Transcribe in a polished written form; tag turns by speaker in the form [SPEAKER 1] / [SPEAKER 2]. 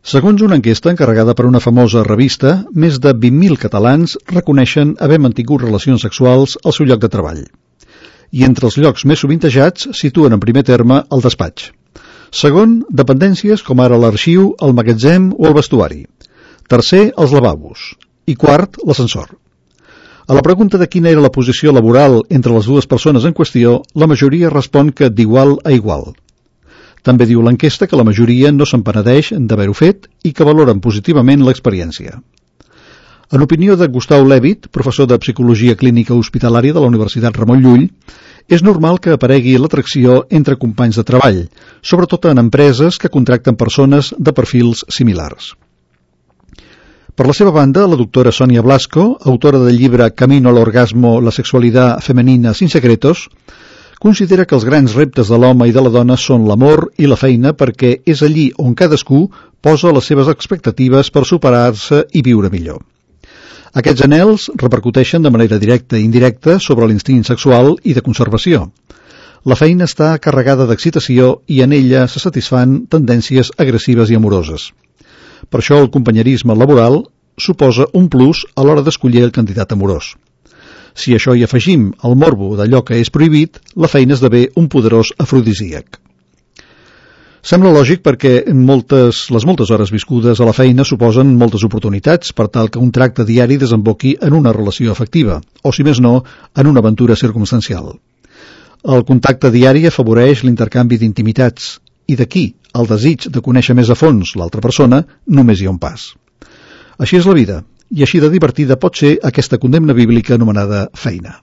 [SPEAKER 1] Segons una enquesta encarregada per una famosa revista, més de 20.000 catalans reconeixen haver mantingut relacions sexuals al seu lloc de treball. I entre els llocs més sovintejats situen en primer terme el despatx. Segon, dependències com ara l'arxiu, el magatzem o el vestuari. Tercer, els lavabos. I quart, l'ascensor. A la pregunta de quina era la posició laboral entre les dues persones en qüestió, la majoria respon que d'igual a igual. També diu l'enquesta que la majoria no se'n penedeix d'haver-ho fet i que valoren positivament l'experiència. En opinió de Gustau Levit, professor de Psicologia Clínica Hospitalària de la Universitat Ramon Llull, és normal que aparegui l'atracció entre companys de treball, sobretot en empreses que contracten persones de perfils similars. Per la seva banda, la doctora Sonia Blasco, autora del llibre Camino al orgasmo, la sexualidad femenina sin secretos, considera que els grans reptes de l'home i de la dona són l'amor i la feina perquè és allí on cadascú posa les seves expectatives per superar-se i viure millor. Aquests anhels repercuteixen de manera directa i indirecta sobre l'instint sexual i de conservació. La feina està carregada d'excitació i en ella se satisfan tendències agressives i amoroses. Per això el companyerisme laboral suposa un plus a l'hora d'escollir el candidat amorós. Si a això hi afegim el morbo d'allò que és prohibit, la feina esdevé un poderós afrodisíac. Sembla lògic perquè les moltes hores viscudes a la feina suposen moltes oportunitats per tal que un tracte diari desemboqui en una relació afectiva, o si més no, en una aventura circumstancial. El contacte diari afavoreix l'intercanvi d'intimitats, i d'aquí el desig de conèixer més a fons l'altra persona només hi ha un pas. Així és la vida, i així de divertida pot ser aquesta condemna bíblica anomenada feina.